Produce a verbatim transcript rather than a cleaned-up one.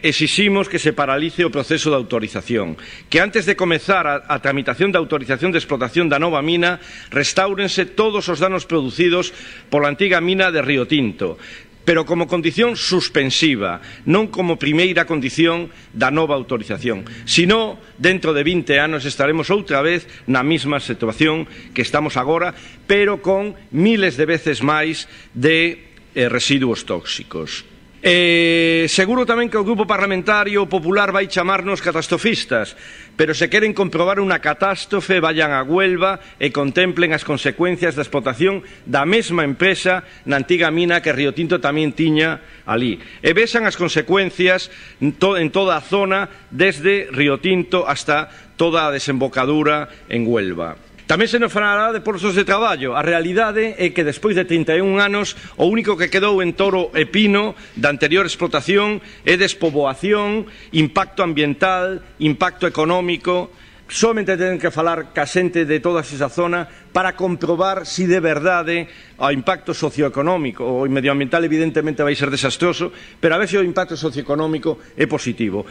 exiximos que se paralice o proceso de autorización, que antes de comezar a, a tramitación de autorización de explotación da nova mina restáurense todos os danos producidos pola antiga mina de Río Tinto, pero como condición suspensiva, non como primeira condición da nova autorización. Senón, dentro de vinte anos estaremos outra vez na mesma situación que estamos agora, pero con miles de veces máis de eh, residuos tóxicos. Eh, seguro tamén que o Grupo Parlamentario Popular vai chamarnos catastrofistas, pero se queren comprobar unha catástrofe, vayan a Huelva e contemplen as consecuencias da explotación da mesma empresa na antiga mina que Río Tinto tamén tiña ali. E vexan as consecuencias en toda a zona, desde Río Tinto hasta toda a desembocadura en Huelva. Tamén se nos falará de postos de traballo. A realidade é que despois de trinta e un anos o único que quedou en Toro e Pino da anterior explotación é despoboación, impacto ambiental, impacto económico. Somente ten que falar ca xente de toda esa zona para comprobar si de verdade o impacto socioeconómico. O medioambiental evidentemente vai ser desastroso, pero a ver se o impacto socioeconómico é positivo.